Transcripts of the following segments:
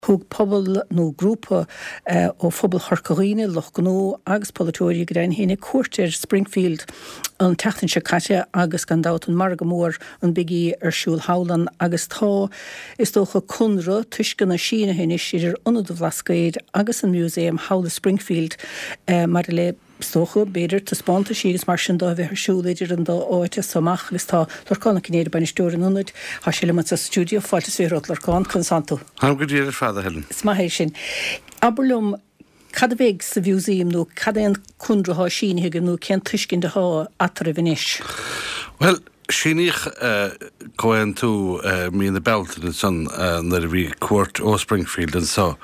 Thug pobal nó grúpa ó phobal Chorca Dhuibhne, lucht gnó agus polaiteoirí go deimhin féin cuairt ar Springfield an tseachtain seo caite agus gan dabht an margadh mór, an Big E ar siúl thall ann agus tá, is dócha, conradh tuisceana sínithe anois idir Ionad an Bhlascaoid agus an Museum thall i Springfield maidir le Is dócha, b'fhéidir, taispeántaisí agus mar sin de a bheith ar siúl idir an dá áit as so amach agus tá Lorcán Ó Cinnéide, bainisteoir an Ionaid, tá sé liom anseo sa stiúideo. Fáilte is romhat, a Lorcán, conas tánn tú? Táim go diail ar fad, a Helen. Is maith é sin. Abair liom, cad a bheidh sa mhúsaem nó cad é an conradh atá sínithe agaibh nó cén tuiscint atá eatarthu anois? Bhuel, Síníodh comhaontú mí na Bealtaine ansan nuair a bhí cuairt ó Springfield anso.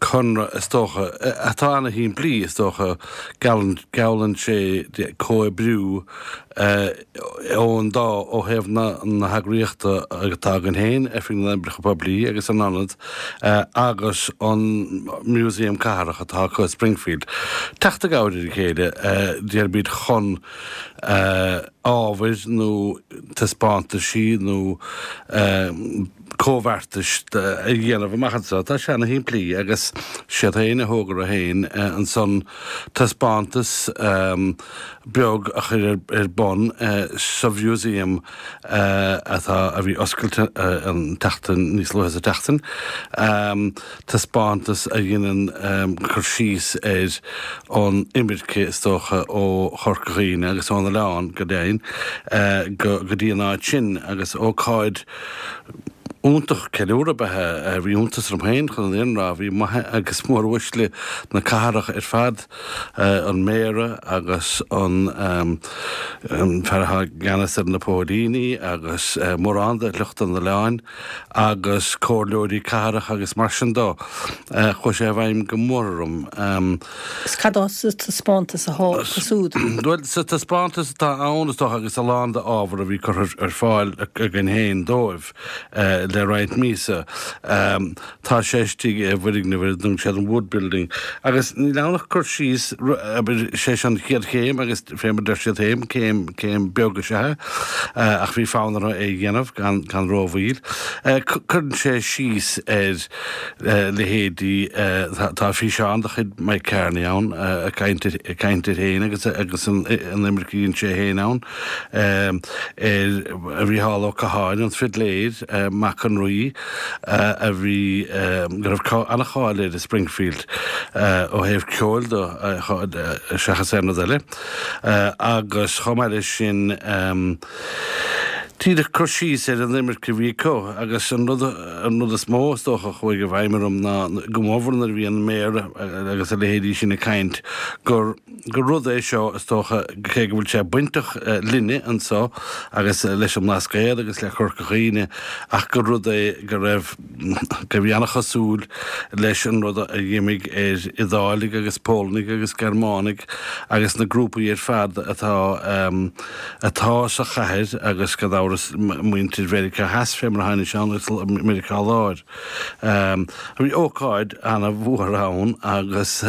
Conradh, is dócha, atá ana-shimplí, is dócha. Geallann sé comhoibriú ón dá, ó thaobh na heagraíochta atá againn féin, Oifig na nOibreacha Poiblí agus an Ionad, agus an Museum Cathrach atá acu i Springfield, teacht i gcabhair ar a chéile, déarfaimid, chun ábhair nó taispeántaisí nó comhbheartais a dhéanamh amach anseo. Tá sé ana-shimplí agus siad féin a thóg orthu féin ansan taispeántas beag a chur ar bun sa mhúsaem atá, a bhí oscailte an tseachtain, níos luaithe sa tseachtain. taispeántas a dheineann cur síos ar an imirce, is dócha, ó Chorca Dhuibhne agus ón oileán, go deimhin, go dtí an áit sin agus ócáid iontach ceiliúradh ab ea é. Bhí iontas orm féin, chun an fhírinne a rá, bhí maithe agus móruaisle na cathrach ar fad, an Méara agus an fear atá i gceannas ar na póilíní agus mórán de shliocht an oileáin. agus comhairleoirí cathrach agus mar sin dó. Chuaigh sé i bhfeidhm go mór orm. Is cad atá sa taispeántas atá acu siúd? Bhuel, sa taispeántas atá ann, is dócha, agus a lán d'ábhar a bhí curtha ar fáil againn féin dóibh le roinnt míosa, Tá sé istigh i bhfoirgneamh ar a dtugann siad an Wood Building agus níl ann ach cur síos, abair, sé seo an chéad chéim agus fé mar a deir siad féin, céim, céim beag is ea é ach bhí fonn orthu é a dhéanamh gan, gan rómhoill. Cuireann sé síos ar leithéidí, tá físeán de chuid Mike Kearney ann ag caint, ag caint air féin agus, agus an imirce a dhein sé féin ann, ar Mhícheál Ó Catháin, an fidléir, mac an Rí. a bhí, go raibh an-cháil air i Springfield ó thaobh ceoil de seachas aon rud eile agus chomh maith leis sin díreach cur síos ar an imirce a bhí acu agus an rud, an rud is mó is dócha a chuaigh i bhfeidhm orm ná go mórmhór nuair a bhí an Méara agus a leithéidí sin ag caint gur gur rud é seo, is dócha, cé go bhfuil sé bainteach linne anseo agus leis an mBlascaod agus le Corca Dhuibhne, ach gur rud é go raibh, go bhí an-chosúil leis an rud a d'imigh ar Iodáiligh agus Pólannaigh agus Gearmánaigh agus na grúpaí ar fad atá, atá sa chathair agus gan amhras muintir Mheiriceá Theas fé mar a tháinig sé ann agus Meiriceá Láir. Bhí ócáid ana-mhór ann agus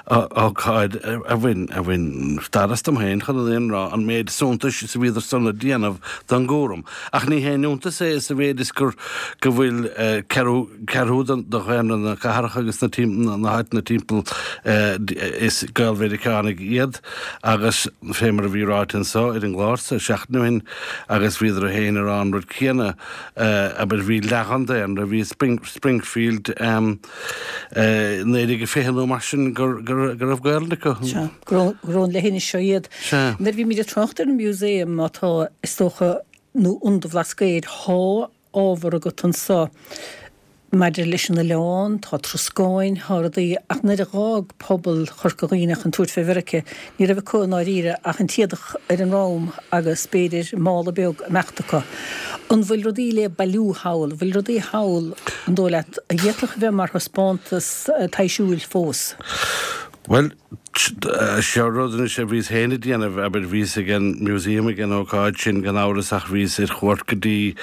ócáid a bhain, a bhain stad astam féin chun an fhírinne a rá, an méid suntais is a bhíodar san ag déanamh don gcúram. Ach ní haon iontas é sa mhéid is gur, go bhfuil ceathrú, ceathrú de dhaonra na cathrach agus na, na háiteanna timpeall is Gael-Mheiriceánaigh iad agus fé mar a bhí ráite anso ar an gclár sa seachtain ó shin agus bhíodar féin ag rá an rud céanna, abair, bhí leath den daonra, bhí Springfield 1920 nó mar sin go raibh Gaelainn acu. Sea, gur ón leithinis seo iad. Sea. Nuair a bhímid ag trácht ar an Museum atá, is dócha, nó Ionad an Bhlascaoid, thá ábhar agat anso maidir leis an oileán, tá troscáin, tá rudaí, ach nuair a dh'fhág pobal Chorca Dhuibhne chun tabhairt fé Mheirice, ní raibh acu i ndáiríre ach an t-éadach ar a ndrom agus, b'fhéidir, mála beag ag imeacht acu. An bhfuil rudaí le bailiú thall? An bhfuil rudaí thall, an dóigh leat, a d'fhéadfadh a bheith mar thaispeántas taibhsiúil fós? Bhuel. Seo rud anois a bhíos féin ag déanamh, abair, bhíos ag an Museum ag an ócáid sin gan amhras ach bhíos ar chuairt go dtí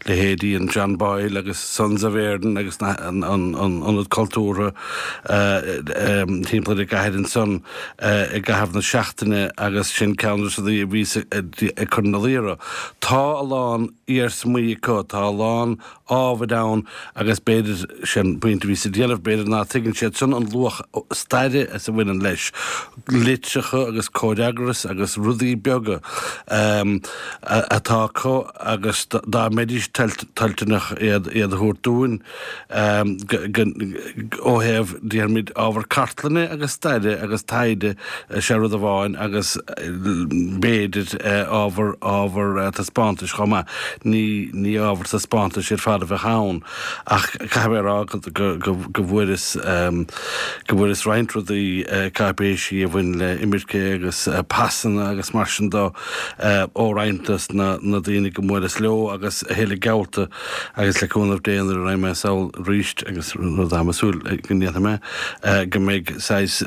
leithéidí an John Boyle agus Sons of Éireann agus an Ionad Cultúrtha timpeall ar an gcathair ansan i gcaitheamh na seachtaine agus sin ceann de na rudaí a bhíos ag cur ina luí orthu. Tá a lán iarsmaí acu, tá a lán ábhair ann agus b'fhéidir, sin pointe a bhíos ag déanamh, b'fhéidir ná tuigeann siad san an luach staire is a bhaineann leis, litreacha agus comhfhreagras agus rudaí beaga atá acu agus dá mbeidís toilteanach iad a thabhairt dúinn ó thaobh, déarfaimid, ábhar cartlainne agus staire agus taighde, sé rud amháin agus b'fhéidir ábhar, ábhar taispeántais chomh maith. Ní, ní ábhar taispeántais ar fad a bheadh ann ach caithfidh mé a rá go, go, go bhfuaireas, go bhfuaireas roinnt rudaí, cáipéisí a bhain le imirce agus pasanna agus mar sin de ó roinnt de na, na daoine go mbuaileas leo agus a thuilleadh geallta agus le cúnamh Dé nuair a raghaidh mé sall arís agus rud atáim ag súil go ndéanfaidh mé, go mbeidh saghas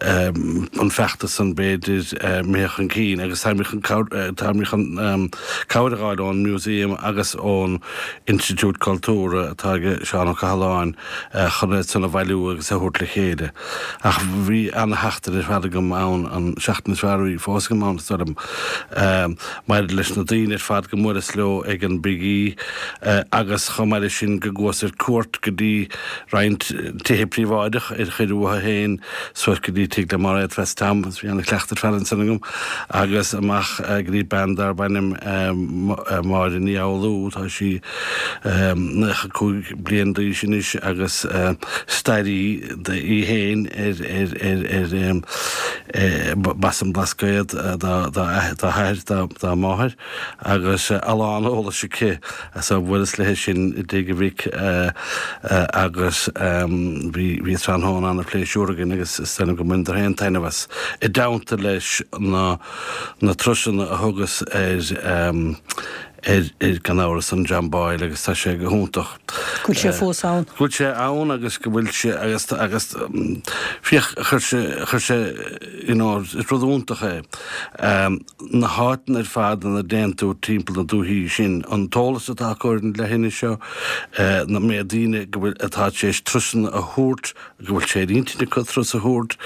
an feachtas san b'fhéidir imithe chun cinn agus táimid chun táimid chun cabhair a dh'fháil ón Museum agus ón Institiúid Cultúrtha atá ag Seán Ó Cathaláin chun iad san a bhailiú agus a thabhairt le chéile. Ach bhí ana-sheachtain ar fad agam ann, an seachtain is fearr a bhí fós agam ann, is dóigh liom, maidir leis na daoine ar fad go mbuaileas leo ag an Big E agus chomh maith leis sin go gcuas ar cuairt go dtí roinnt tithe príobháideach ar chuir uathu féin suas go dtí tigh le Mairéad Feis Tom, bhí ana-chleachtadh ar fad ansan agam, agus amach go dtí bean darb ainm Máire Ní Fhoghlú, tá sí 95 bliain d'aois anois agus stairí í féin ar ar b'as an Blascaod dá hathair, dá máthair agus a lán eolais aici. So bhuaileas léi sin i dtigh a mhic agus bhí bhí tráthnóna ana-phléisiúr againn agus is dóigh liom go mbaineadar féin taitneamh as. I dteannta leis na na turasanna a thugas ar ar ar gan amhras an John Boyle agus tá sé go hiontach. Go bhfuil sé fós ann. Go bhfuil sé ann agus go bhfuil sé agus agus féach chuir sé chuir sé you know is rud iontach é. na háiteanna ar fad ina dtéann tú timpeall na dúichí sin, an t-eolas atá acu ar an leithinis seo, na méid daoine go bhfuil, atá tar éis turasanna a thabhairt, go bhfuil sé ar intinn acu turas a thabhairt,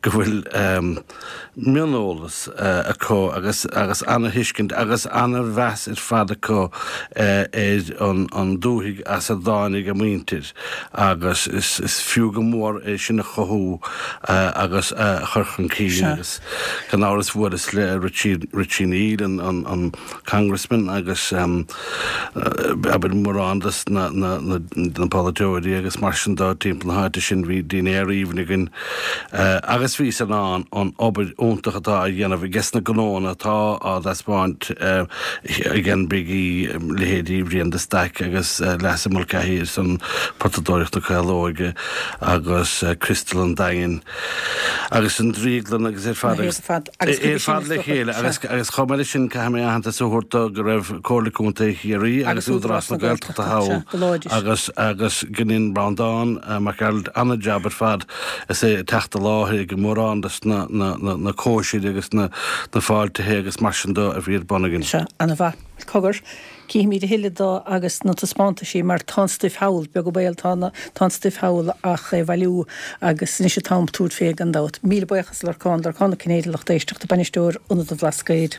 go bhfuil mioneolas acu agus agus ana-thuiscint agus ana-mheas ar fad acu ar an an dúthaigh as a dtáinig a muintir agus is is fiú go mór é sin a chothú agus a chur chun cinn agus. Gan amhras bhuaileas le Richie, Richie Neal, an, an Congressman agus abair mórán des na, na, na, na polaiteoirí agus mar sin de timpeall na háite sin bhí dinnéar aoibhinn againn agus bhíos in ann an obair iontach atá á dhéanamh ages na gnóanna atá á dtaispeáint ag an Big E, leithéidí Bhrian de Staic agus Leasa Mulcahy ar son Potadóireacht na Caolóige agus Crystal an Daingin. agus an Drioglann agus ar fad agus ar fad le chéile agus agus chomh maith leis sin caithfidh mé aitheantas a thabhairt do go raibh Comhairle Contae Chiarraí agus Údarás na Gaeltachta thall agus agus go ndein Breandán Mac Gearailt an-jab ar fad is é ag teacht i láthair ag mórán des na na na cóisirí agus na na fáiltithe agus mar sin de a bhí ar bun againn. Sea, ana-mhaith. Cogar. Cífimid a thuilleadh de agus na taispeántaisí mar tá an stuif thall, beag an baol, tá tá an stuif thall ach é a bhailiú agus anois an t-am tabhairt fé gan dabht. Míle buíochas a Lorcáin, Lorcán Ó Cinnéide lucht éisteachta, Bainisteoir Ionad an Bhlascaoid.